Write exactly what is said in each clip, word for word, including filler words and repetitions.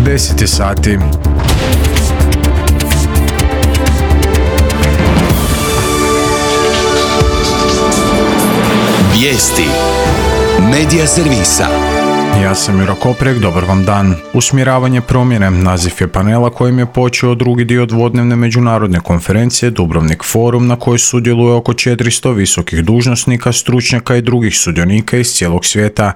deset sati. Vijesti Medija servisa. Ja sam Juro Koprek, dobar vam dan. Usmjeravanje promjene, naziv je panela kojim je počeo drugi dio dvodnevne međunarodne konferencije Dubrovnik Forum, na kojoj sudjeluje oko četiristo visokih dužnosnika, stručnjaka i drugih sudionika iz cijelog svijeta.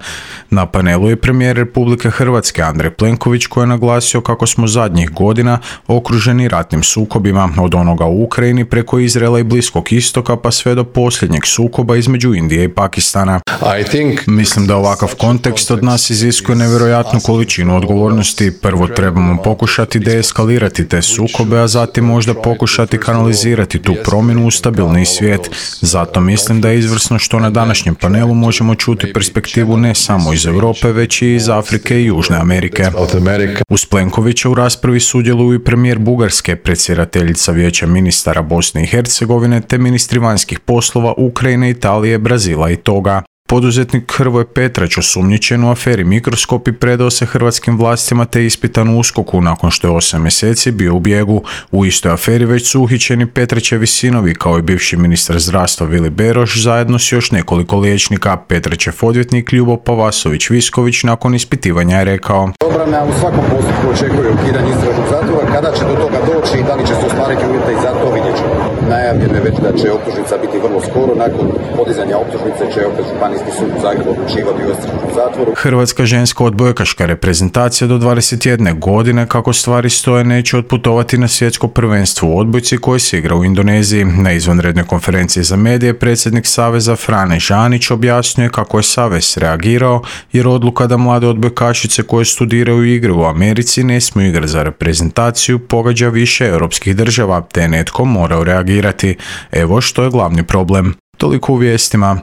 Na panelu je premijer Republike Hrvatske Andrej Plenković, koji je naglasio kako smo zadnjih godina okruženi ratnim sukobima, od onoga u Ukrajini preko Izraela i Bliskog istoka pa sve do posljednjeg sukoba između Indije i Pakistana. I think... Mislim da ovakav kontekst od nas iziskuje nevjerojatnu količinu odgovornosti. Prvo trebamo pokušati deeskalirati te sukobe, a zatim možda pokušati kanalizirati tu promjenu u stabilniji svijet. Zato mislim da je izvrsno što na današnjem panelu možemo čuti perspektivu ne samo iz Europe, već i iz Afrike i Južne Amerike. Uz Plenkovića u raspravi sudjeluju i premijer Bugarske, predsjedateljica Vijeća ministara Bosne i Hercegovine, te ministri vanjskih poslova Ukrajine, Italije, Brazila i Toga. Poduzetnik Hrvoje Petrać, osumnjičen u aferi Mikroskop, predao se hrvatskim vlastima te ispitan u USKOK-u nakon što je osam mjeseci bio u bijegu. U istoj aferi već su uhićeni Petraćevi sinovi kao i bivši ministar zdravstva Vili Beroš zajedno s još nekoliko liječnika. Petraćev odvjetnik Ljubo Pavasović-Visković nakon ispitivanja je rekao: Obrana u svakom postupku očekuje ukidanje istražnog zatvora. Kada će do toga doći i da li će se ostvariti uvjeti za to, vidjet ćemo. Najavljeno je već da će optužnica biti vrlo skoro. Nakon podizanja optužnice će opet Županijski sud u Zagrebu odlučivati o istražnom zatvoru. Hrvatska ženska odbojkaška reprezentacija do dvadeset jedne godine, kako stvari stoje, neće otputovati na svjetsko prvenstvo u odbojci koje se igra u Indoneziji. Na izvanrednoj konferenciji za medije predsjednik Saveza Frane Žanić objasnio kako je Savez reagirao jer odluka da mlade odbojkašice koje studiraju i igraju u Americi ne smiju igrati za reprezentaciju pogađa više europskih država, te netko morao reagirati. Evo što je glavni problem. Toliko u vijestima.